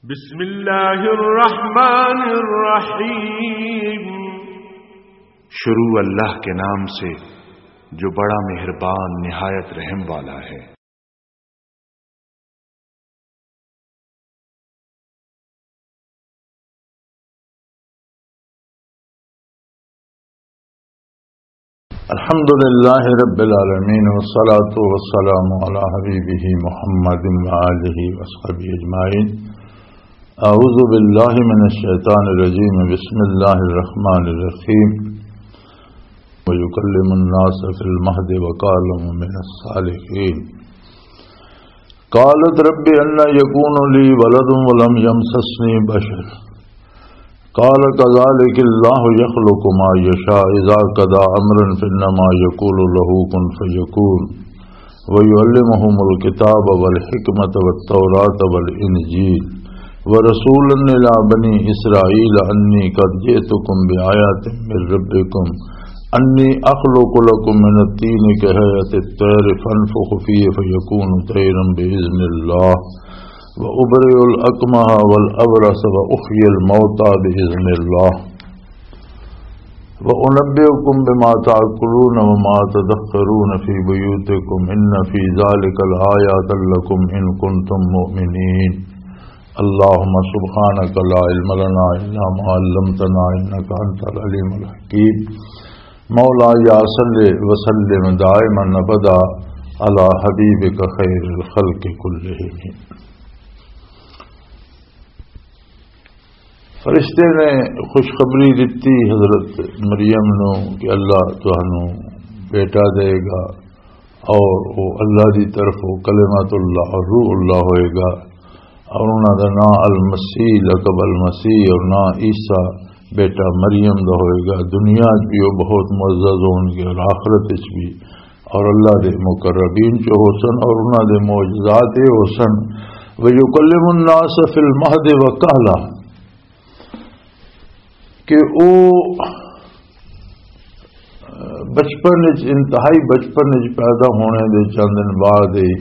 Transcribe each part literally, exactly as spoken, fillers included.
بسم اللہ الرحمن الرحیم۔ شروع اللہ کے نام سے جو بڑا مہربان نہایت رحم والا ہے۔ الحمد لله رب العالمين، والصلاة والسلام على حبيبه محمد وآله وصحبه أجمعين. أعوذ بالله من الشيطان الرجيم. بسم الله الرحمن الرحيم. ويكلم الناس في المهد وكهلا ومن الصالحين. قالت رب أنى يكون لي ولد ولم يمسسني بشر. قال كذلك الله يخلق ما يشاء إذا قضى أمرا فإنما يقول له كن فيكون. ويعلمهم الكتاب والحكمة والتوراة والإنجيل. ورسولا إلى بني إسرائيل أني قد جئتكم بآية من ربكم أني أخلق لكم من الطين كهيئة الطير فأنفخ فيه فيكون طيرا بإذن الله وأبرئ الأكمه والأبرص وأحيي الموتى بإذن الله وأنبئكم بما تأكلون وما تدخرون في بيوتكم إن في ذلك لآيات لكم إن كنتم مؤمنين. اللهم سبحانك لا علم لنا إلا ما علمتنا إنك أنت العليم الحكيم. مولاي صل وسلم دائما أبدا على حبيبك خير الخلق كلهم. فرشتے نے خوشخبری دتی حضرت مریم نو کہ اللہ تانوں بیٹا دے گا، اور وہ اللہ دی طرف وہ کلمت اللہ اور روح اللہ ہوئے گا، اور انہاں دا نام المسیح، لقب المسیح، اور نام عیسیٰ بیٹا مریم دا ہوئے گا۔ دنیا وچ بھی وہ بہت معزز ہون گے اور آخرت وچ بھی، اور اللہ دے مقربین چ ہو سن، اور انہاں دے معجزات یہ ہو سن، وَيُكَلِّمُ النَّاسَ فِي الْمَهْدِ وَكَهْلًا، کہ او بچپن وچ، انتہائی بچپن وچ پیدا ہونے دے چند دن بعد ہی،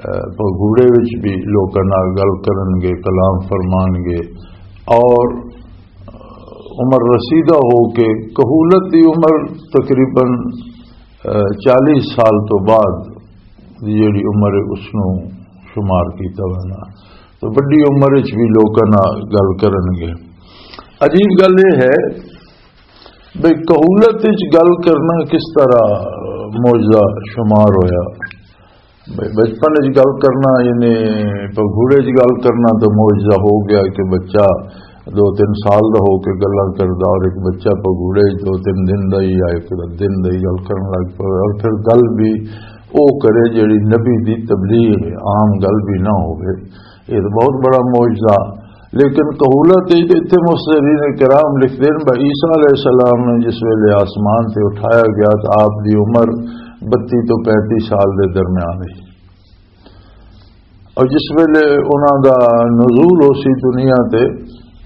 اے، پگھوڑے وچ بھی لوکاں نال گل کرن گے، کلام فرمان گے، اور عمر رسیدہ ہو کے، کہولت دی عمر تقریباً، اے، چالیس سال تو بعد دی جڑی عمر ہے، اس نوں شمار کیتا وینا۔ تو وڈی عمر وچ بھی لوکاں نال گل کرن گے۔ عجیب گل یہ ہے بھئی، کہولت وچ گل کرنا کس طرح معجزہ شمار ہویا؟ بھئی، بچپن وچ گل کرنا، یعنی پگھوڑے وچ گل کرنا تو معجزہ ہو گیا کہ بچہ دو تین سال دا ہو کے گلاں کردا، اور ایک بچہ پگھوڑے وچ دو تین دن دا ہی یا ایک دن دا ہی گل کرن لگ پے، اور پھر گل بھی او کرے جڑی نبی دی تبلیغ ہے، عام گل بھی نہ ہوے۔ یہ تو بہت بڑا معجزہ۔ لیکن کہولت ہے، اتنے مفسرین کرام لکھتے ہیں، بھائی عیسیٰ علیہ السلام نے جس ویلے آسمان تے اٹھایا گیا تو آپ دی عمر بتی تو پینتی سال دے درمیان ہے، اور جس ویلے انہاں دا نزول ہو سی دنیا تے،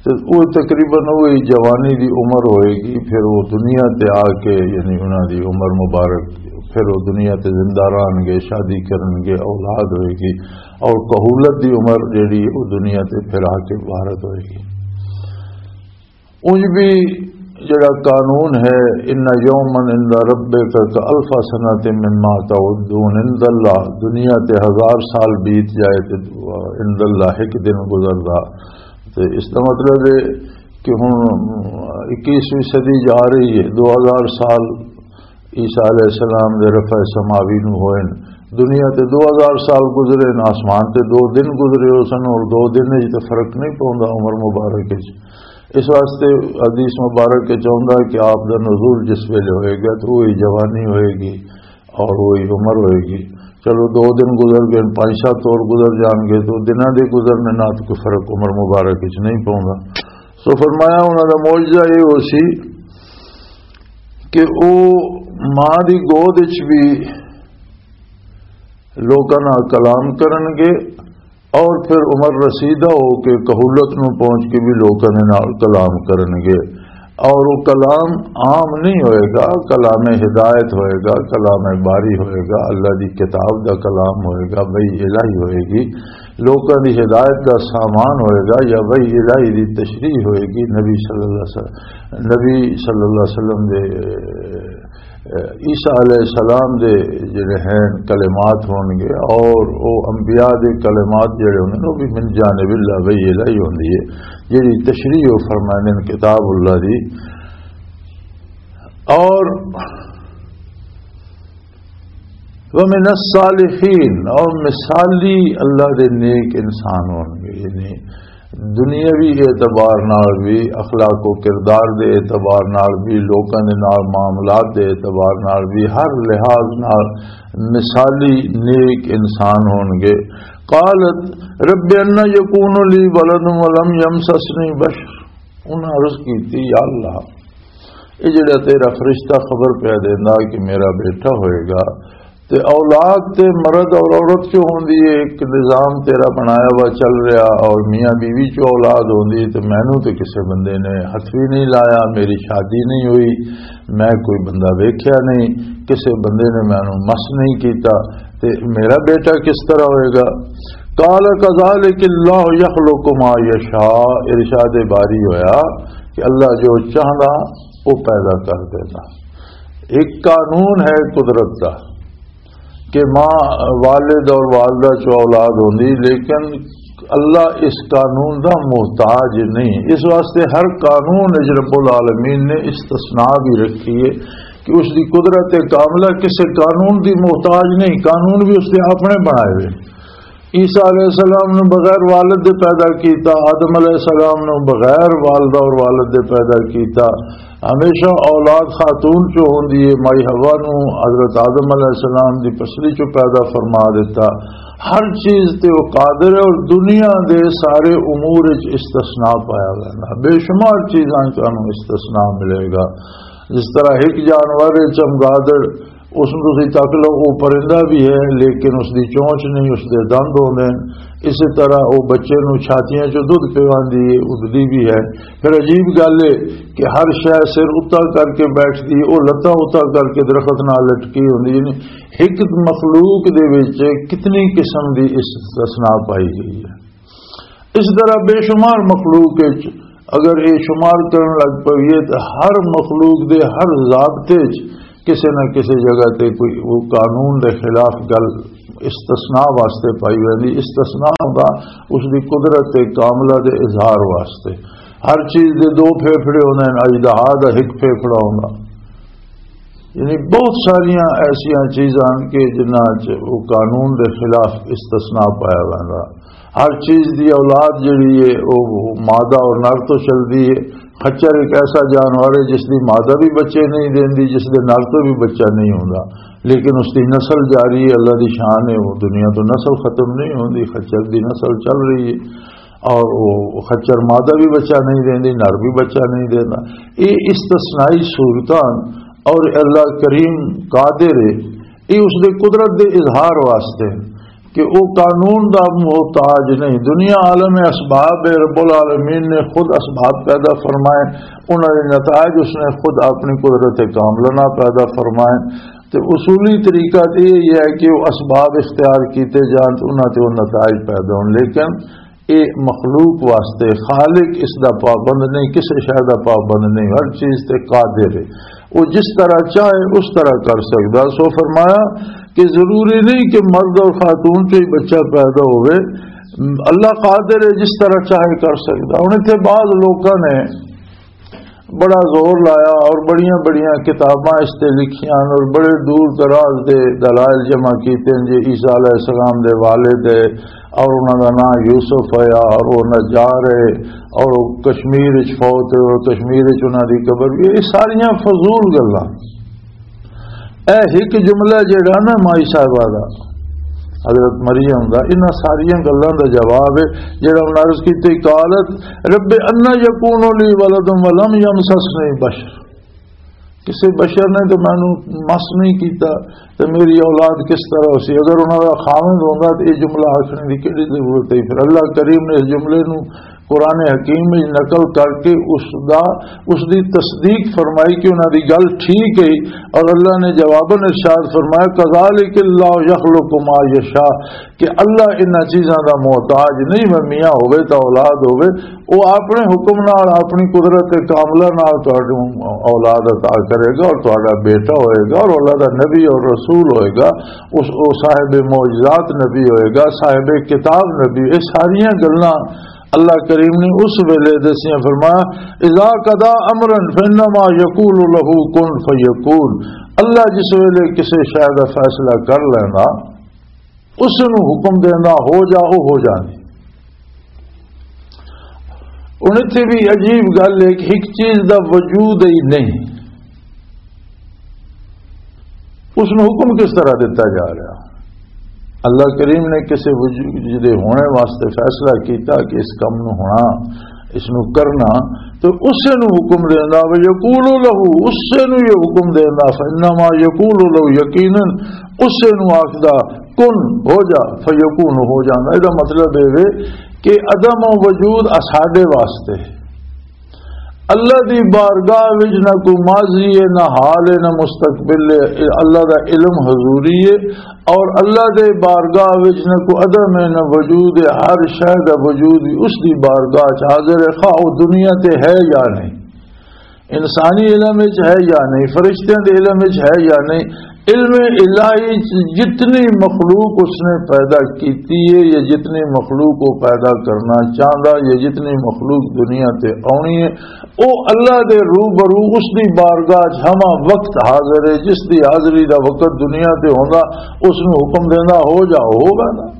تے وہ تقریباً وہی جوانی دی عمر ہوئے گی۔ پھر وہ دنیا تے آ کے، یعنی انہاں دی عمر مبارک، پھر وہ دنیا تے زندہ رہن گے، شادی کرن گے، اولاد ہوئے گی، اور کہولت دی عمر جڑی وہ دنیا تے پھر آ کے عبارت ہوئے گی۔ انج بھی جڑا قانون ہے، ان یوما عند ربک کالف سنۃ مما تعدون، عند اللہ، دنیا تے ہزار سال بیت جائے تے عند اللہ ایک دن گزردا۔ تے اس دا مطلب ہے کہ ہن اکیسویں صدی جا رہی ہے، دو ہزار سال عیسیٰ علیہ السلام دے رفع سماوی نو ہوئے نے۔ دنیا تے دو ہزار سال گزرے نے، آسمان تے دو دن گزرے ہو سن، اور دو دن وچ تے فرق نہیں پوندا عمر مبارک وچ۔ اس واسطے حدیث مبارک وچ آوندا کہ آپ دا نزول جس ویلے ہوئے گا تو وہی جوانی ہوئے گی اور وہی عمر ہوئے گی۔ چلو، دو دن گزر گئے، پانچ سات اور گزر جان گے، تو دناں دے گزرنے نال تو کوئی فرق عمر مبارک وچ نہیں پوندا۔ سو فرمایا، انہاں دا معجزہ یہ ہو سی کہ او ماں دی گود وچ بھی لوکاں نال کلام کرن گے، اور پھر عمر رسیدہ ہو کے کہولت نو پہنچ کے بھی لوکاں دے نال کلام کرن گے۔ اور وہ کلام عام نہیں ہوئے گا، کلام ہدایت ہوئے گا، کلام باری ہوئے گا، اللہ دی کتاب دا کلام ہوئے گا، وحی الہی ہوئے گی، لوکاں دی ہدایت دا سامان ہوئے گا، یا وحی الہی دی تشریح ہوئے گی۔ نبی صلی اللہ علیہ وسلم، نبی صلی اللہ علیہ وسلم دے، عیسیٰ علیہ السلام دے جڑے ہیں کلمات ہون گے، اور وہ انبیاء دے کلمات جڑے ہوندے نے، وہ بھی من جانب اللہ وحی الہی ہوندی ہے، جڑی تشریح وہ فرماندے نے کتاب اللہ دی۔ اور وَمِنَ الصَّالِحِينَ، اور مثالی اللہ دے نیک انسان ہون گے، یعنی دنیاوی اعتبار نال بھی، اخلاق و کردار دے اعتبار نال بھی، لوکاں دے نال معاملات دے اعتبار نال بھی، ہر لحاظ نال مثالی نیک انسان ہون گے۔ قالت رب ان یکون لی ولد ولم یمسسنی بشر، انہاں عرض کیتی، یا اللہ، یہ جڑا تیرا فرشتہ خبر پیا دیندا کہ میرا بیٹا ہوئے گا، تے اولاد تے مرد اور عورت چوں ہوندی ہے، ایک نظام تیرا بنایا ہوا چل رہا، اور میاں بیوی چوں اولاد ہوندی ہے، تے مینوں تے کسے بندے نے ہتھ بھی نہیں لایا، میری شادی نہیں ہوئی، میں کوئی بندہ ویکھیا نہیں، کسے بندے نے مینوں مس نہیں کیتا، تے میرا بیٹا کس طرح ہوئے گا؟ قال کذالک اللہ یخلق ما یشاء، ارشاد باری ہویا کہ اللہ جو چاہندا وہ پیدا کر دینا۔ ایک قانون ہے قدرت دا کہ ماں، والد اور والدہ چوں اولاد ہوندی، لیکن اللہ اس قانون دا محتاج نہیں۔ اس واسطے ہر قانون وچ رب العالمین نے استثناء بھی رکھی ہے کہ اس دی قدرت کاملہ کسی قانون دی محتاج نہیں، قانون بھی اس نے اپنے بنائے ہوئے۔ عیسیٰ علیہ السلام نو بغیر والد دے پیدا کیتا، آدم علیہ السلام نو بغیر والدہ اور والد دے پیدا کیتا۔ ہمیشہ اولاد خاتون چوں ہوندی ہے، مائی حوا نو حضرت آدم علیہ السلام دی پسلی چوں پیدا فرما دیتا۔ ہر چیز تے وہ قادر ہے، اور دنیا دے سارے امور وچ استثناء پایا جانا، بے شمار چیزاں چانوں استثناء ملے گا۔ جس طرح ایک جانور ہے چمگادڑ، اس نوں تسی تک لو، وہ پرندہ بھی ہے، لیکن اس دی چونچ نہیں، اس دے دند ہوندے نے۔ اسی طرح وہ بچے نوں چھاتیاں چوں دودھ پیواندی ہے، اڈدی بھی ہے۔ پھر عجیب گل ہے کہ ہر شے سر اتا کر کے بیٹھدی، وہ لتاں اتا کر کے درخت نال لٹکی ہوندی ہے۔ یعنی ایک مخلوق دے وچ کتنی قسم دی استثناء پائی گئی ہے۔ اس طرح بے شمار مخلوق وچ اگر یہ شمار کرن لگ پئیے تو ہر مخلوق دے ہر ضابطے وچ کسے نہ کسے جگہ تے کوئی وہ قانون دے خلاف گل استثناء واسطے پائی ویندی۔ استثناء ہوندا اس دی قدرت کاملہ دے اظہار واسطے۔ ہر چیز دے دو پھیپھڑے ہوندے نے، اژدہا دا ہک پھیپھڑا ہوندا۔ یعنی بہت ساریاں ایسیاں چیزاں ہن کہ جنہاں چ وہ قانون دے خلاف استثناء پایا ویندا۔ ہر چیز دی اولاد جڑی ہے، وہ مادہ اور نر تو چلدی ہے۔ خچر ایک ایسا جانور ہے جس دی مادہ بھی بچے نہیں دیندی، جس دے نر تو بھی بچہ نہیں ہوندا، لیکن اس دی نسل جاری ہے، اللہ دی شان ہے، وہ دنیا تو نسل ختم نہیں ہوندی، خچر دی نسل چل رہی ہے۔ اور وہ خچر مادہ بھی بچہ نہیں دیندی، نر بھی بچہ نہیں دیندا۔ یہ استثنائی صورتاں اور اللہ کریم قادر ہے، یہ اس دے قدرت دے اظہار واسطے کہ وہ قانون دا محتاج نہیں۔ دنیا عالم اسباب ہے، رب العالمین نے خود اسباب پیدا فرمائے، انہاں دے نتائج اس نے خود اپنی قدرت کاملہ نال پیدا فرمائے۔ تے اصولی طریقہ تے یہ ہے کہ وہ اسباب اختیار کیتے جان تے انہاں تے وہ نتائج پیدا ہون، لیکن یہ مخلوق واسطے خالق اس دا پابند نہیں، کسے شے دا پابند نہیں، ہر چیز تے قادر ہے۔ وہ جس طرح چاہے اس طرح کر سکدا۔ سو فرمایا کہ ضروری نہیں کہ مرد اور خاتون چوں ہی بچہ پیدا ہوئے، اللہ قادر ہے، جس طرح چاہے کر سکدا۔ ہن اتھے بعض لوکاں نے بڑا زور لایا اور بڑیاں بڑیاں کتاباں اس تے لکھیاں اور بڑے دور دراز دے دلائل جمع کیتے ہیں جی عیسیٰ علیہ السلام دے والد ہے اور انہاں دا نام یوسف ہے اور وہ نجار ہے اور وہ کشمیر وچ فوت ہے اور کشمیر وچ انہاں دی قبر بھی۔ یہ ساریاں فضول گلاں۔ اے ایک جملہ جڑا نا مائی صاحبہ دا، حضرت مریم دا، انہاں ساریاں گلاں دا جواب ہے جڑا انہاں عرض کیتے، قالت رب انا یکون لی ولد ولم یمسسنی بشر، کسے بشر نے تو مینوں مس نہیں کیتا، تے میری اولاد کس طرح ہو سی؟ اگر انہاں دا خاوند ہوندا تے یہ جملہ آکھنے دی کیڑی ضرورت ہے؟ پھر اللہ کریم نے اس جملے نوں قرآن حکیم وچ نقل کر کے اس دا، اس دی تصدیق فرمائی کہ انہاں دی گل ٹھیک ہے۔ اور اللہ نے جواباً ارشاد فرمایا، "کذالک اللہ یخلق ما یشاء"، کہ اللہ انہاں چیزاں دا محتاج نہیں، میں میاں ہوے تا اولاد ہوے، وہ اپنے حکم نال، اپنی قدرت کاملہ نال تہاڈوں اولاد عطا کرے گا اور تہاڈا بیٹا ہوئے گا اور اللہ دا نبی اور رسول ہوئے گا، اس، وہ صاحب معجزات نبی ہوئے گا، صاحب کتاب نبی، یہ ساریاں گلاں اللہ کریم نے اس ویلے دسیاں۔ فرمایا، "اذا قضا امرا فانما یقول له کن فیکون"، اللہ جس ویلے کسی شے دا فیصلہ کر لینا، اس نو حکم دینا، "ہو جا"، وہ ہو جاندی۔ ہن اتھے بھی عجیب گل ہے کہ ایک چیز دا وجود ہی نہیں، اس نو حکم کس طرح دیتا جا رہا؟ اللہ کریم نے کسی وجود دے ہونے واسطے فیصلہ کیتا کہ اس کم نو ہونا، اس نو کرنا، تو اسے نو حکم دینا، "وَيَقُولُ لَهُ"، اسے نو یہ حکم دینا، "فَإِنَّمَا يَقُولُ لَهُ"، یقیناً اسے نو آکھدا، "کن"، ہو جا، "فَيَكُونُ"، ہو جانا۔ یہ مطلب یہ وے کہ عدم و وجود اساڈے واسطے ہے۔ اللہ دی بارگاہ وچ نہ کوئی ماضی ہے، نہ حال ہے، نہ مستقبل ہے۔ اللہ دا علم حضوری ہے، اور اللہ دے بارگاہ وچ نہ کوئی عدم ہے، نہ وجود ہے۔ ہر شے دا وجود بھی اس دی بارگاہ چ حاضر ہے، خواہ وہ دنیا تے ہے یا نہیں، انسانی علم وچ ہے یا نہیں، فرشتیاں دے علم وچ ہے یا نہیں۔ علم الہی چ جتنی مخلوق اس نے پیدا کیتی ہے یا جتنی مخلوق وہ پیدا کرنا چاہندا یا جتنی مخلوق دنیا تے آنی ہے، او اللہ دے روبرو اس دی بارگاہ چ ہما وقت حاضر ہے، جس دی حاضری دا وقت دنیا تے ہوندا، اس نو حکم دیندا، "ہو جا"، ہو ویندا۔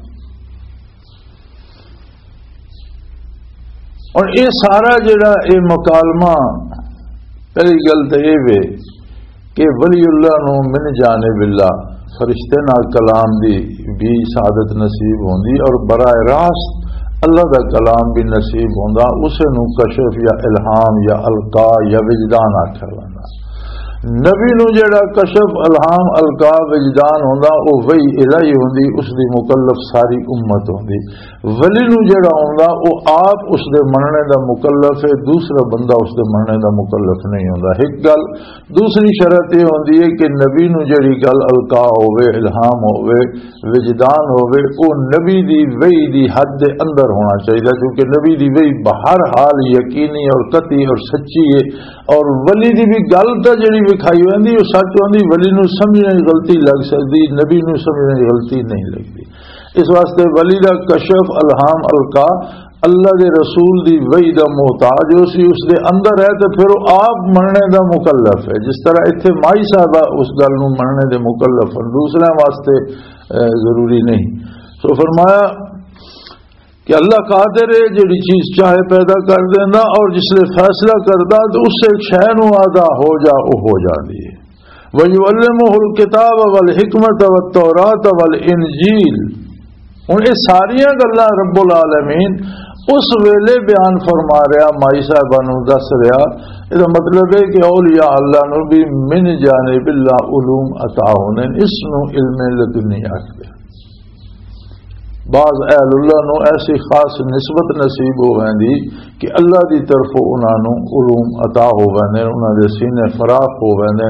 اور یہ سارا جڑا یہ مکالمہ، پہلی گل تو یہ وے کہ ولی اللہ نو من جانب اللہ، فرشتے نال کلام دی بھی سعادت نصیب ہوندی اور براہ راست اللہ دا کلام بھی نصیب ہوندا، اسے نو کشف یا الہام یا القا یا وجدان آکھیا ویندا۔ نبی نو جڑا کشف، الہام، القا، وجدان ہوندا، او وحی الہی ہوندی، اس دی مکلف ساری امت ہوندی۔ ولی نو جڑا ہوندا، او آپ اس دے مننے دا مکلف ہے، دوسرا بندہ اس دے مننے دا مکلف نہیں ہوندا۔ ایک گل۔ دوسری شرط یہ ہوندی ہے کہ نبی نو جڑی گل القا ہووے، الہام ہووے، وجدان ہووے، او نبی دی وحی دی حد دے اندر ہونا چاہیے، کیونکہ نبی دی وحی بہر حال یقینی اور قطعی اور سچی ہے۔ اور ولی دی بھی گل تاں جڑی وکھائی ہوندی، او سچ ہوندی، ولی نو سمجھنے دی غلطی لگ سکدی، نبی نو سمجھنے دی غلطی نہیں لگدی۔ اس واسطے ولی دا کشف، الہام، القا اللہ دے رسول دی وحی دا محتاج ہو سی، اس دے اندر ہے، تے پھر وہ آپ مننے دا مکلف ہے۔ جس طرح اتھے مائی صاحبہ اس گل نو مننے دے مکلف ہن، دوسرے واسطے، اے، ضروری نہیں۔ سو فرمایا کہ اللہ قادر ہے، جڑی چیز چاہے پیدا کر دینا، اور جس لے فیصلہ کردا تو اس سے شے نو آدھا ہو جا، وہ ہو جاندی ہے۔ وَيُعَلِّمُهُ الْكِتَابَ وَالْحِكْمَةَ وَالتَّوْرَاةَ وَالْإِنْجِيلَ۔ ہن یہ ساریاں گلاں رب العالمین اس ویلے بیان فرما رہا، مائی صاحبہ نو دس رہا۔ یہ مطلب ہے کہ اولیاء اللہ نو بھی من جانب اللہ علوم عطا ہونے، اس نو علم لدنی آکھدے۔ بعض اہل اللہ نو ایسی خاص نسبت نصیب ہو ویندی کہ اللہ دی طرفوں انہاں نوں علوم عطا ہو ویندے، انہاں دے سینے فراخ ہو ویندے۔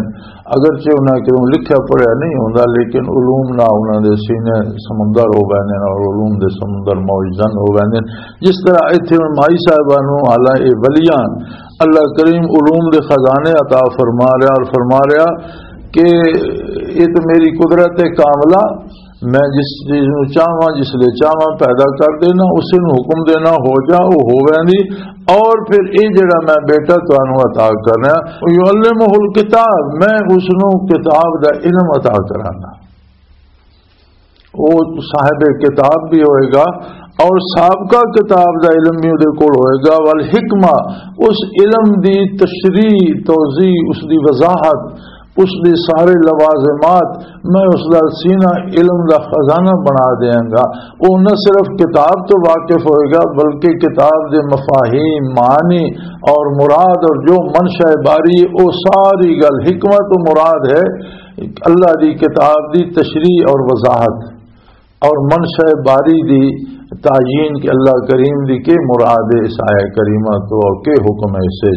اگرچہ انہاں کیوں لکھیا پڑھیا نہیں ہوندا، لیکن علوم نہ انہاں دے سینے سمندر ہو ویندے اور علوم دے سمندر موج زن ہو ویندے۔ جس طرح ایتھے ہن مائی صاحبہ نوں، حالانکہ ولیاں، اللہ کریم علوم دے خزانے عطا فرما رہا اور فرما رہا کہ یہ تو میری قدرت کاملہ، میں جس چیز نو چاہواں، جس لے چاہواں، پیدا کر دینا، اسے نو حکم دینا، ہو جا، وہ ہو ویندی۔ اور پھر یہ جڑا میں بیٹا تانوں عطا کرنا، یعلمہ الکتاب، میں اس نو کتاب دا علم عطا کرانا۔ وہ صاحب کتاب بھی ہوئے گا اور سابقہ کتاب دا علم بھی اودے کول ہوئے گا۔ والحکمہ، اس علم دی تشریح، توضیح، اس دی وضاحت، اس دے سارے لوازمات، میں اس دا سینہ علم دا خزانہ بنا دیاں گا۔ وہ نہ صرف کتاب تو واقف ہوئے گا، بلکہ کتاب دے مفاہیم، معنی اور مراد اور جو منشا باری، وہ ساری گل، حکمت و مراد ہے اللہ دی کتاب دی تشریح اور وضاحت۔ اور منشا باری دی تعین کہ اللہ کریم دی کے مراد ہے اس آیہ کریمہ تو، اور کے حکم ہے اس سے،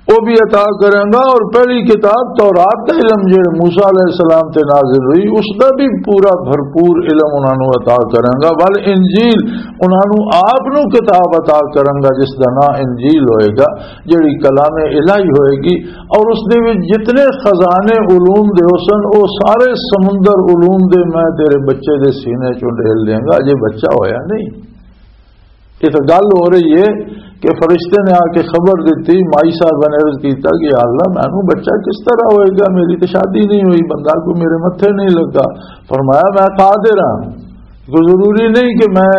وہ بھی عطا کریں گا۔ اور پہلی کتاب تورات دا علم جڑے موسیٰ علیہ السلام تے نازل ہوئی، اس دا بھی پورا بھرپور علم انہاں نوں عطا کریں گا۔ ول انجیل، انہاں نوں آپ نوں کتاب عطا کریں گا جس دا نام انجیل ہوئے گا، جڑی کلام الہی ہوئے گی، اور اس دے وچ جتنے خزانے علوم دے حسن، وہ سارے سمندر علوم دے میں تیرے بچے دے سینے چوں ڈھیل دیاں گا۔ اجے بچہ ہویا نہیں۔ یہ تو گل ہو رہی ہے کہ فرشتے نے آ کے خبر دیتی، مائی صاحب نے عرض کیتا کہ یا اللہ، مینوں بچہ کس طرح ہوئے گا؟ میری تو شادی نہیں ہوئی، بندہ کوئی میرے متھے نہیں لگا۔ فرمایا، میں قادر ہاں، کوئی ضروری نہیں کہ میں،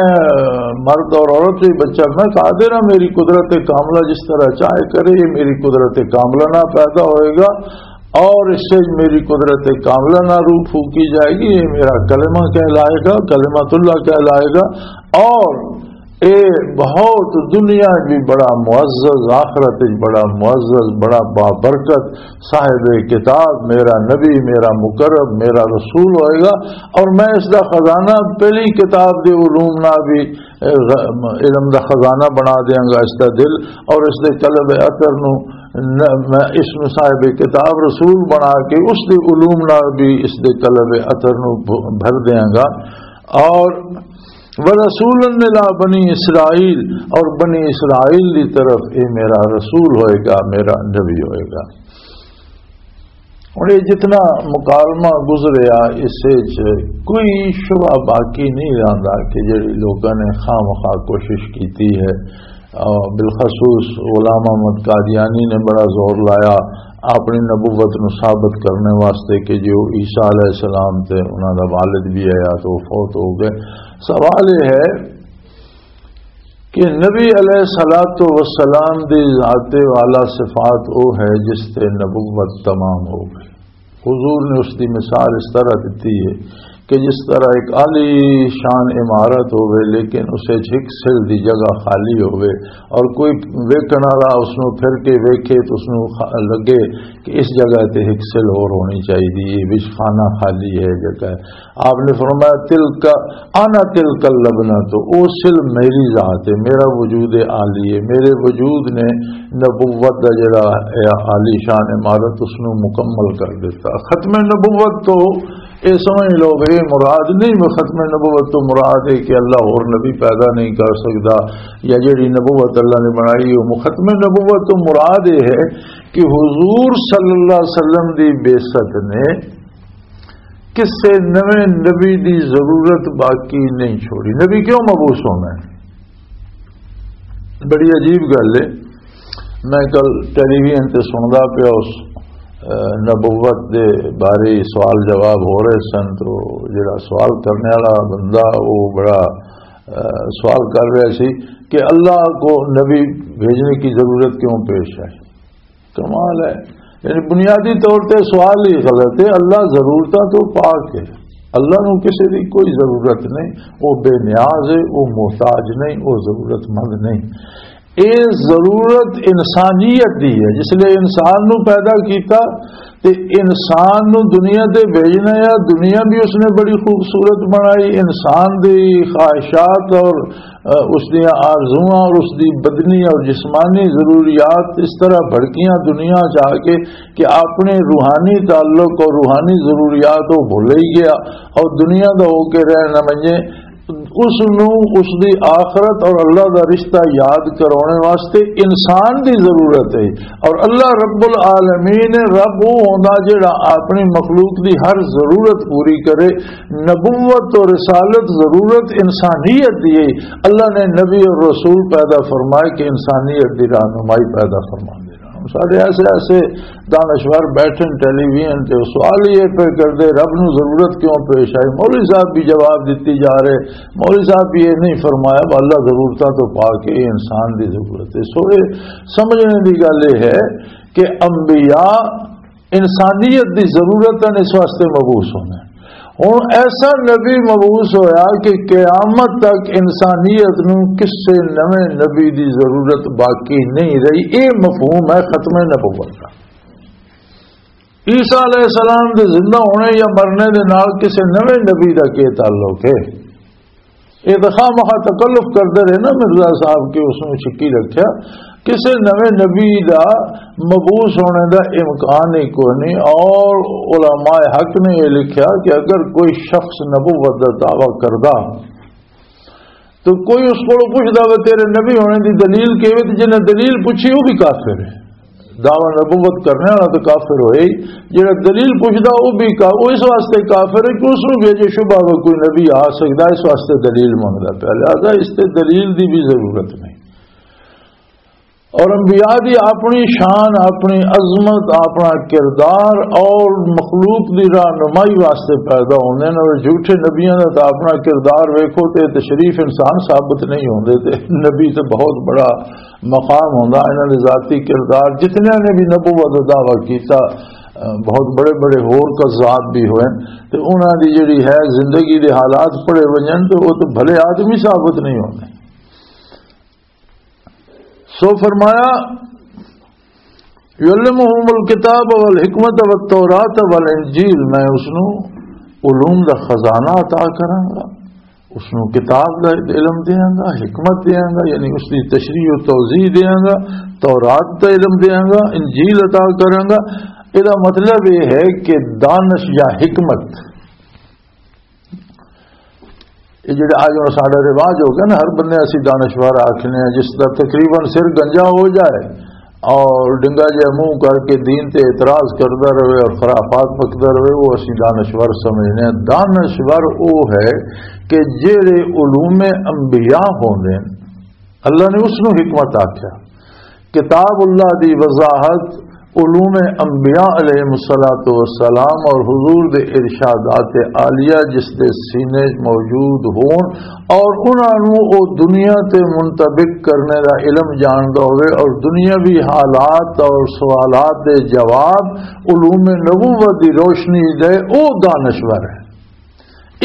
مرد اور عورت ہی بچہ، میں قادر ہاں، میری قدرت کاملہ جس طرح چاہے کرے، یہ میری قدرت کاملہ نہ پیدا ہوئے گا اور اس سے میری قدرت کاملہ نہ روح پھونکی جائے گی، یہ میرا کلمہ کہلائے گا، کلمۃ اللہ کہلائے گا۔ اور اے بہت دنیا بھی بڑا معزز، آخرت بھی بڑا معزز، بڑا بابرکت، صاحب کتاب، میرا نبی، میرا مقرب، میرا رسول ہوئے گا۔ اور میں اس دا خزانہ، پہلی کتاب دے علوم نہ بھی، اے، علم دا خزانہ بنا دیاں گا اس دا دل، اور اس دے قلب اطر نو ن-، میں اس نو صاحب کتاب رسول بنا کے اس دے علوم نال بھی اس دے قلب اطر نو ب-، بھر دیاں گا۔ اور ورسولا الی بنی اسرائیل، اور بنی اسرائیل دی طرف یہ میرا رسول ہوئے گا، میرا نبی ہوئے گا۔ اور یہ جتنا مکالمہ گزریا، اس وچ کوئی شبہ باقی نہیں رہندا کہ جڑی لوکاں نے خام خواہ کوشش کیتی ہے، آ، بالخصوص غلام احمد قادیانی نے بڑا زور لایا اپنی نبوت نو ثابت کرنے واسطے کہ جو عیسیٰ علیہ السلام تے انہاں دا والد بھی آیا تو وہ فوت ہو گئے۔ سوال یہ ہے کہ نبی علیہ الصلوۃ والسلام دی ذات والا صفات وہ ہے جس تے نبوت تمام ہو گئی۔ حضور نے اس دی مثال اس طرح دتی ہے کہ جس طرح ایک عالی شان عمارت ہوئے، لیکن اسے ہک سل دی جگہ خالی ہوئے اور کوئی ویکھن والا اس نوں پھر کے ویکھے تو اس نوں خ-، لگے کہ اس جگہ تے ہک سل اور ہونی چاہیے، یہ وچ خانہ خالی ہے، جگہ ہے۔ آپ نے فرمایا، "تلک انا تلک اللبنہ"، تو او سل میری ذات ہے، میرا وجود عالی ہے، میرے وجود نے نبوت دا جڑا ہے عالی شان عمارت، اس نو مکمل کر دیتا۔ ختم نبوت تو اے سمجھ لو کہ اے مراد نہیں، وہ ختم نبوت تو مراد ہے کہ اللہ اور نبی پیدا نہیں کر سکتا، یا جڑی نبوت اللہ نے بنائی، وہ ختم نبوت تو مراد یہ ہے کہ حضور صلی اللہ علیہ وسلم دی بعثت نے کسے نویں نبی دی ضرورت باقی نہیں چھوڑی۔ نبی کیوں مبعوث ہونا ہے؟ بڑی عجیب گل ہے۔ میں کل ٹیلی ویژن تے سندا پیا اس، اہ، نبوت دے بارے سوال جواب ہو رہے سن، تو جڑا سوال کرنے والا بندہ وہ بڑا، اہ، سوال کر رہا سی کہ اللہ کو نبی بھیجنے کی ضرورت کیوں پیش ہے؟ کمال ہے۔ یعنی بنیادی طور تے سوال ہی غلط ہے۔ اللہ ضرورتاں تو پاک ہے، اللہ نو کسی دی کوئی ضرورت نہیں، وہ بے نیاز ہے، وہ محتاج نہیں، وہ ضرورت مند نہیں۔ اے ضرورت انسانیت دی ہے، جس لئے انسان نو پیدا کیتا تے انسان نو دنیا تے بھیجنا ہے۔ دنیا بھی اس نے بڑی خوبصورت بنائی، انسان دی خواہشات اور، اہ، اس دیاں آرزواں اور اس دی بدنی اور جسمانی ضروریات اس طرح بھڑکیاں دنیا چ آ کے کہ اپنے روحانی تعلق اور روحانی ضروریات وہ بھول ہی گیا اور دنیا دا ہو کے رہنا منجے۔ اس نو اس دی آخرت اور اللہ دا رشتہ یاد کرانے واسطے انسان دی ضرورت ہے۔ اور اللہ رب العالمین رب وہ ہوندا جڑا اپنی مخلوق دی ہر ضرورت پوری کرے۔ نبوت اور رسالت ضرورت انسانیت دی ہے۔ اللہ نے نبی اور رسول پیدا فرمائے کہ انسانیت دی رہنمائی پیدا فرما دینا۔ ہن سارے ایسے ایسے دانشور بیٹھے ٹیلی ویژن تے سوال یہ پہ کردے، رب نو ضرورت کیوں پیش آئی؟ مولوی صاحب بھی جواب دیتی جا رہے، مولوی صاحب بھی یہ نہیں فرمایا، وہ اللہ ضرورتاں تو پاک ہے، یہ انسان دی ضرورت ہے۔ سو یہ سمجھنے دی گل یہ ہے کہ انبیاء انسانیت دی ضرورت ہے، اس واسطے مبعوث ہونا ہے۔ ہن ایسا نبی مبعوث ہویا کہ قیامت تک انسانیت نو کسے نویں نبی دی ضرورت باقی نہیں رہی۔ اے مفہوم ہے ختم نبوت دا۔ عیسیٰ علیہ السلام دے زندہ ہونے یا مرنے دے نال کسے نویں نبی دا کی تعلق ہے؟ یہ تو خواہ مخواہ تکلف کرتے رہے نا مرزا صاحب کہ اس نوں چھکی رکھیا۔ کسے نویں نبی دا مبعوث ہونے دا امکان ہی کوئی نہیں، اور علماء حق نے یہ لکھیا کہ اگر کوئی شخص نبوت دا دعویٰ کردا تو کوئی اس کو پوچھدا وہ تیرے نبی ہونے دی دلیل کی ہوئی، تو جنہیں دلیل پوچھی وہ بھی کافر ہے۔ دعویٰ نبوت کرنے والا تو کافر ہوئے ہی، جڑا دلیل پوچھدا وہ بھی کا، وہ اس واسطے کافر ہے کہ اس نوں بھی اجے شبہ ہو کوئی نبی آ سکدا، اس واسطے دلیل منگدا پیا، لہذا اس تے دلیل دی بھی ضرورت نہیں۔ اور انبیاء دی اپنی شان، اپنی عظمت، اپنا کردار اور مخلوق دی رہنمائی واسطے پیدا ہوندے نے۔ اور جھوٹے نبیاں دا تاں اپنا کردار ویکھو تے تشریف انسان ثابت نہیں ہوندے، تے نبی تے بہت بڑا مقام ہوندا، انہاں دے ذاتی کردار، جتنیاں نے بھی نبوت دا دعویٰ کیتا، بہت بڑے بڑے ہور قزاب بھی ہوئے، تے انہاں دی جڑی ہے زندگی دے حالات پڑھے ونجن تے وہ تو بھلے آدمی ثابت نہیں ہوندے۔ سو فرمایا، "یعلمہم الکتاب والحکمت والتوراۃ والانجیل"، میں اس نوں علوم دا خزانہ عطا کراں گا، اس نوں کتاب دا علم دیاں گا، حکمت دیاں گا، یعنی اس دی تشریح و توضیح دیاں گا، تورات دا علم دیاں گا، انجیل عطا کراں گا۔ ادا مطلب یہ ہے کہ دانش یا حکمت، یہ جڑے آج ہن ساڈا رواج ہو گیا نا، ہر بندے اسی دانشور آکھنے ہیں، جس دا تقریباً سر گنجا ہو جائے اور ڈنگا جہا منہ کر کے دین تے اعتراض کردا رہے اور خرافات بکدا رہے، وہ اسی دانشور سمجھنے ہیں۔ دانشور وہ ہے کہ جڑے علوم انبیاء ہوندے ہیں، اللہ نے اس نوں حکمت آکھیا۔ کتاب اللہ دی وضاحت، علوم انبیاء علیہ الصلوۃ والسلام اور حضور دے ارشادات عالیہ جس دے سینے موجود ہون اور انہاں نوں او دنیا تے منطبق کرنے دا علم جاندا ہوئے اور دنیاوی حالات اور سوالات دے جواب علوم نبوت دی روشنی دے، او دانشور ہے۔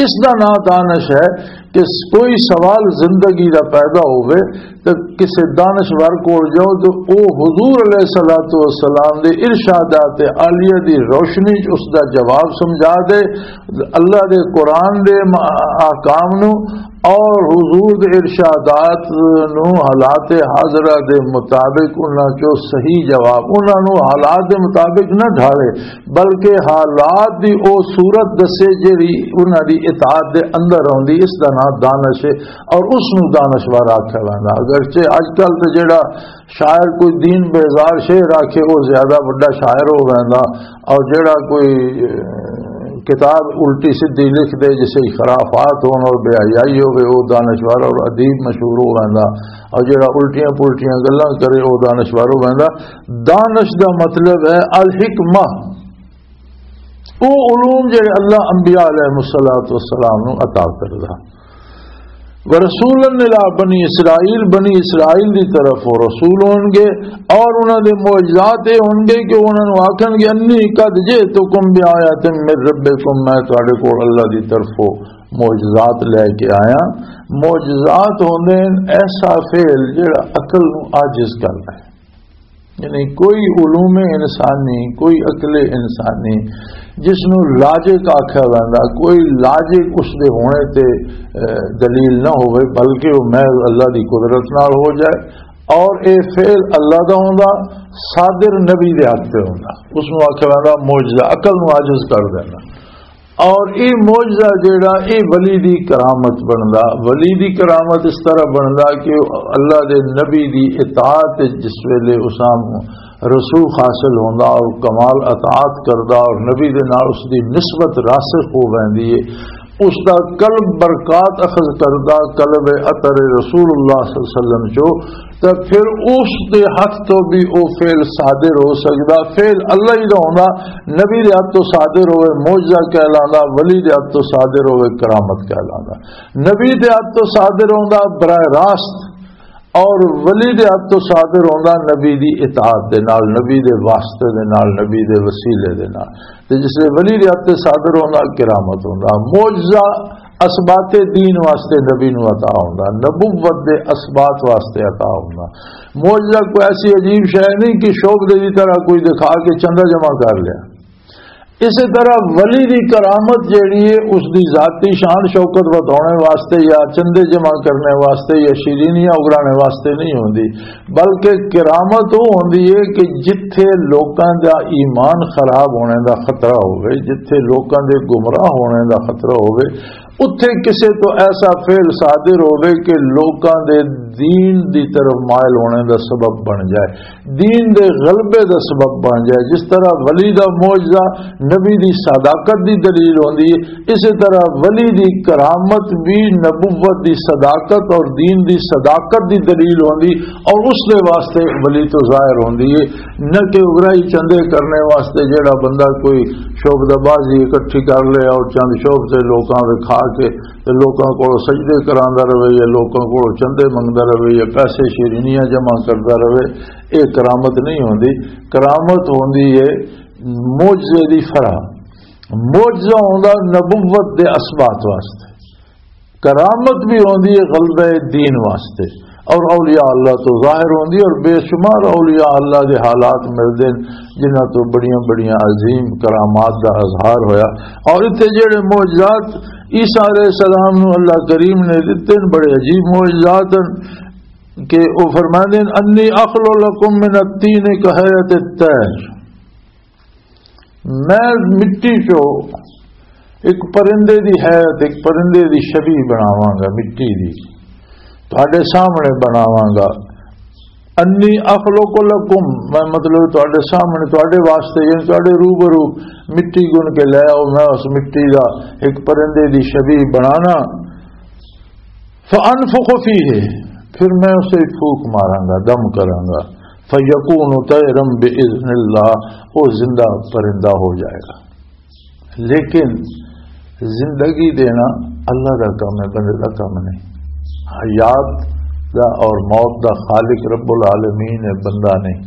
اس دا نام دانش ہے کہ کوئی سوال زندگی دا پیدا ہوئے تو کسے دانشور کول جاؤ تو او حضور علیہ الصلوۃ والسلام دے ارشادات عالیہ دی روشنی چ اس دا جواب سمجھا دے، اللہ دے قرآن دے م-، احکام نو اور حضور دے ارشادات نو حالات حاضرہ دے مطابق انہاں چو صحیح جواب، انہاں نو حالات دے مطابق نہ ڈھالے، بلکہ حالات دی او صورت دسے جیڑی انہاں دی اطاعت دے اندر آوندی، اس دا نام دانش ہے اور اس نوں دانشور آکھیا ویندا۔ اگرچہ اج کل تے جیڑا شاعر کوئی دین بیزار شعر آکھے، او زیادہ وڈا شاعر ہو ویندا، اور جیڑا کوئی، اے، کتاب الٹی سدھی لکھ دے، جسے خرافات ہون اور بے حیائی ہوے، او دانشور اور ادیب مشہور ہو ویندا، اور جیڑا الٹیاں پلٹیاں گلاں کرے، او دانشور ہو ویندا۔ دانش دا مطلب ہے الحکمہ، او علوم جڑے اللہ انبیاء علیہ الصلوۃ والسلام نو عطا کردا۔ ورسولا الی بنی اسرائیل، بنی اسرائیل دی طرف وہ رسول ہون گے، اور انہاں دے معجزات اے ہون گے کہ انہاں نو آکھن گے، "انی قد جئتکم بآیۃ من ربکم"، میں تواڈے کول اللہ دی طرفوں معجزات لے کے آیا۔ معجزات ہوندے ہن ایسا فعل جڑا عقل نو عاجز کردا ہے۔ یعنی کوئی علوم انسانی، کوئی عقل انسانی جس نو لاجک آکھیا ویندا، کوئی لاجک اس دے ہونے تے، اے، دلیل نہ ہوئے، بلکہ وہ محض اللہ دی قدرت نال ہو جائے، اور اے فعل اللہ دا ہوندا، صادر نبی دے ہاتھ تے ہوندا، اس نو آکھیا ویندا معجزہ، عقل نو عاجز کر دینا۔ اور اے معجزہ جیڑا، اے ولی دی کرامت بندا، ولی دی کرامت اس طرح بندا کہ اللہ دے نبی دی اطاعت جس ویلے اساں رسوخ حاصل ہوندا اور کمال اطاعت کردا اور نبی دے نال اس دی نسبت راسخ ہو ویندی ہے، اس دا قلب برکات اخذ کردا، قلب عطر رسول اللہ صلی اللہ علیہ وسلم چو، تے پھر اس دے ہاتھ تو بھی او فعل صادر ہو سکدا۔ فعل اللہ ہی دا ہوندا، نبی دے ہاتھ تو صادر ہوئے معجزہ کہلاندا، ولی دے ہاتھ تو صادر ہوئے کرامت کہلاندا۔ نبی دے ہاتھ تو صادر ہوندا براہ راست، اور ولی دے ہاتھ تو صادر ہوندا نبی دی اطاعت دے نال، نبی دے واسطے دے نال، نبی دے وسیلے دے نال۔ تے جس لے ولی دے ہاتھ تے صادر ہوندا، کرامت ہوندا۔ معجزہ اثبات دین واسطے نبی نو عطا ہوندا، نبوت دے اثبات واسطے عطا ہوندا۔ معجزہ کوئی ایسی عجیب شے نہیں کہ شعبدے دی طرح کوئی دکھا کے چندہ جمع کر لیا۔ اسی طرح ولی دی کرامت جیڑی ہے، اس دی ذاتی شان شوکت ودھاؤنے واسطے یا چندے جمع کرنے واسطے یا شیرینیاں اگرانے واسطے نہیں ہوندی، بلکہ کرامت وہ ہوندی ہے کہ جتھے لوکاں دا ایمان خراب ہونے دا خطرہ ہوئے، جتھے لوکاں دے گمراہ ہونے دا خطرہ ہوئے، اتھے کسے تو ایسا فعل صادر ہوئے کہ لوکاں دے دین دی طرف مائل ہونے دا سبب بن جائے، دین دے غلبے دا سبب بن جائے۔ جس طرح ولی دا معجزہ نبی دی صداقت دی دلیل ہوندی ہے، اسی طرح ولی دی کرامت بھی نبوت دی صداقت اور دین دی صداقت دی دلیل ہوندی، اور اس دے واسطے ولی تو ظاہر ہوندی ہے، نہ کہ اگرائی چندے کرنے واسطے جیڑا بندہ کوئی شعبدہ بازی اکٹھی کر لے اور چند شعبدے لوکاں وکھا کے تے لوکاں کولوں سجدے کراندا رہے یا لوکاں کولوں چندے منگدا رہے یا پیسے شیرینیاں جمع کردا رہے، اے کرامت نہیں ہوندی۔ کرامت ہوندی ہے معجزے دی فرح۔ معجزہ ہوندا نبوت دے اثبات واسطے، کرامت بھی ہوندی ہے غلبہ دین واسطے۔ اور اولیاء اللہ تو ظاہر ہوندی ہے، اور بے شمار اولیاء اللہ دے حالات ملدے ہیں جنہاں تو بڑیاں بڑیاں عظیم کرامات دا اظہار ہویا۔ اور اتنے جڑے معجزات عیسیٰ علیہ السلام نو اللہ کریم نے دتے ہیں، بڑے عجیب معجزات ہیں کہ وہ فرماندے ہیں، "انی اخلق لکم من الطین کہیئۃ الطیر۔" میں مٹی چو ایک پرندے دی حیت، ایک پرندے دی شبیہ بناواں گا، مٹی دی تہاڈے سامنے بناواں گا۔ انی اخلق لکم، میں مطلب تہاڈے سامنے، تہاڈے واسطے، یعنی تہاڈے روبرو مٹی گن کے لے آؤ، میں اس مٹی دا ایک پرندے دی شبیہ بنانا۔ فانفخ فیہ، پھر میں اسے پھوک ماراں گا، دم کراں گا۔ فیکون طیرا باذن اللہ، وہ زندہ پرندہ ہو جائے گا۔ لیکن زندگی دینا اللہ دا کم ہے، بندے دا کم نہیں۔ حیات دا اور موت دا خالق رب العالمین ہے، بندہ نہیں۔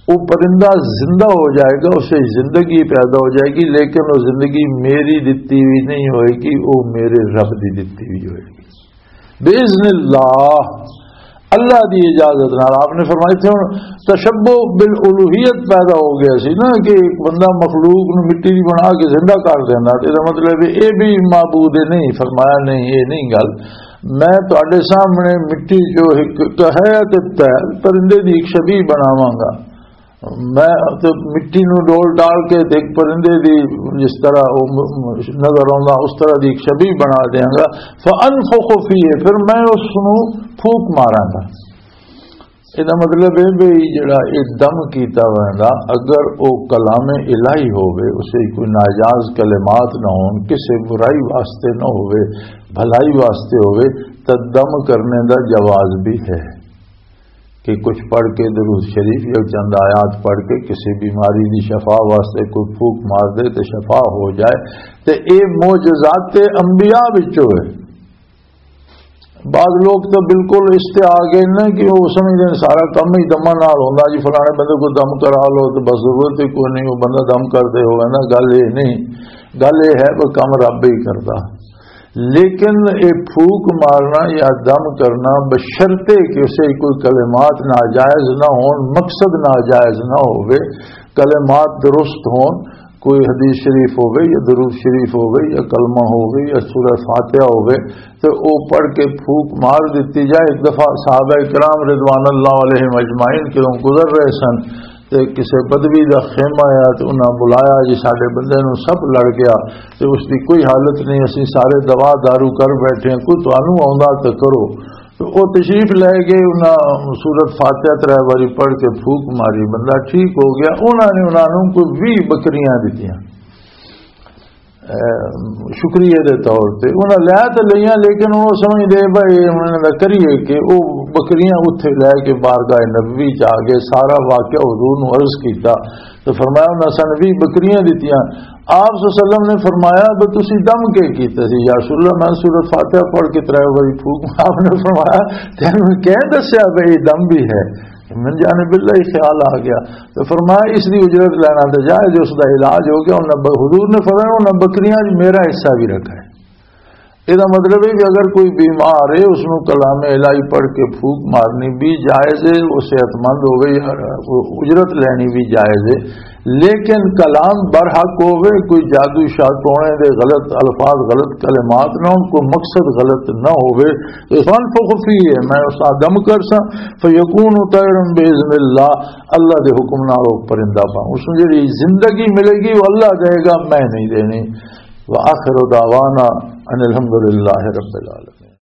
وہ پرندہ زندہ ہو جائے گا، اسے زندگی پیدا ہو جائے گی، لیکن وہ زندگی میری دتی ہوئی نہیں ہوئے گی، وہ میرے رب دی دتی ہوئی ہوئے گی۔ باذن اللہ، اللہ دی اجازت نال۔ آپ نے فرمایا تھے، ہن تشبہ بالالوہیت پیدا ہو گیا سی نا، کہ ایک بندہ مخلوق نو مٹی دی بنا کے زندہ کر دینا، تے دا مطلب ہے اے بھی معبود نہیں۔ فرمایا، نہیں، اے نہیں گل۔ میں تہاڈے سامنے مٹی چو ایک کہیئۃ الطیر، پرندے دی ایک شبیہ بناواں گا۔ میں تے مٹی نو ڈول ڈال کے تے ایک پرندے دی، جس طرح وہ م-، م-، نظر آوندا، اس طرح دی ایک شبیہ بنا دیاں گا۔ فانفخ فیہ، پھر میں اس نو پھوک ماراں گا۔ اے دا مطلب ہے بھئی جڑا اے دم کیتا ویندا، اگر او کلام الہی ہووے، اسے کوئی ناجائز کلمات نہ ہون، کسے برائی واسطے نہ ہووے، بھلائی واسطے ہووے، تاں دم کرنے دا جواز بھی ہے۔ کہ کچھ پڑھ کے درود شریف یا چند آیات پڑھ کے کسی بیماری دی شفا واسطے کوئی پھوک مار دے تے شفا ہو جائے، تے اے معجزات انبیاء وچوں ہے۔ بعض لوگ تو بالکل اس تے آ گئے نا کہ وہ سمجھدے نے سارا کم ہی دماں نال ہوندا، جی فلانے بندے کو دم کرا لو تو بس ضرورت ہی کوئی نہیں، وہ بندہ دم کردے ہوئے نا۔ گل یہ نہیں، گل یہ ہے وہ کم رب ہی کردا۔ لیکن یہ پھوک مارنا یا دم کرنا بشرطے کہ اسے کوئی کلمات ناجائز نہ ہون، مقصد ناجائز نہ ہوئے، کلمات درست ہون، کوئی حدیث شریف ہوئے یا درود شریف ہوئے یا کلمہ ہوئے یا سورہ فاتحہ ہوئے، تو او پڑھ کے پھوک مار دیتی جائے۔ ایک دفعہ صحابہ کرام رضوان اللہ علیہم اجمعین کیوں گزر رہے سن، تے کسے بدوی دا خیمہ آیا تے انہاں بلایا، "جی ساڈے بندے نوں سپ لڑ گیا تے اس دی کوئی حالت نہیں، اسی سارے دوا دارو کر بیٹھے ہیں، کوئی تانوں آوندا تے کرو۔" تو او تشریف لے گئے، انہاں سورت فاتحہ ترے واری پڑھ کے پھوک ماری، بندہ ٹھیک ہو گیا۔ انہاں نے انہاں نوں کوئی ویہہ بکریاں دتیاں۔ اے، شکریہ دے طور تے انہاں لے تے لئیاں، لیکن وہ سمجھ دے بھائی انہاں دا کریے کہ وہ بکریاں اتھے لے کے بارگاہ نبوی چ آ گئے، سارا واقعہ حضور نو عرض کیتا۔ تو فرمایا، "انہاں سن ویہہ بکریاں دتیاں۔" آپ صلی اللہ علیہ وسلم نے فرمایا، "بھئی تسی دم کے کیتا سی؟" "یا رسول اللہ، میں سورۃ فاتحہ پڑھ کے ترے واری پھوک۔" آپ نے فرمایا، "تینوں کہہ دسیا بھئی یہ دم بھی ہے؟" من جانب اللہ ہی خیال آ گیا۔ تو فرمایا، "اس دی اجرت لینا تو جائز، اس دا علاج ہو گیا۔" انہاں ب-، حضور نے فرمایا، "انہاں بکریاں وچ میرا حصہ بھی رکھا ہے۔" یہ مطلب ہے کہ اگر کوئی بیمار ہے، اس نو کلام الہی پڑھ کے پھوک مارنی بھی جائز ہے، وہ صحت مند ہوگی، اجرت لینی بھی جائز ہے۔ لیکن کلام برحق ہوئے، کوئی جادو شاد ٹونے دے غلط الفاظ، غلط کلمات نہ ہون، کوئی مقصد غلط نہ ہوئے، تو فانفخ فیہ، میں اس آدم کر سا، فیکون طیرا باذن اللہ، اللہ دے حکم نال وہ پرندہ پا، اس نو جڑی زندگی ملے گی، وہ اللہ دے گا، میں نہیں دینی۔ وآخر دعوانا ان الحمد للہ رب العالمین۔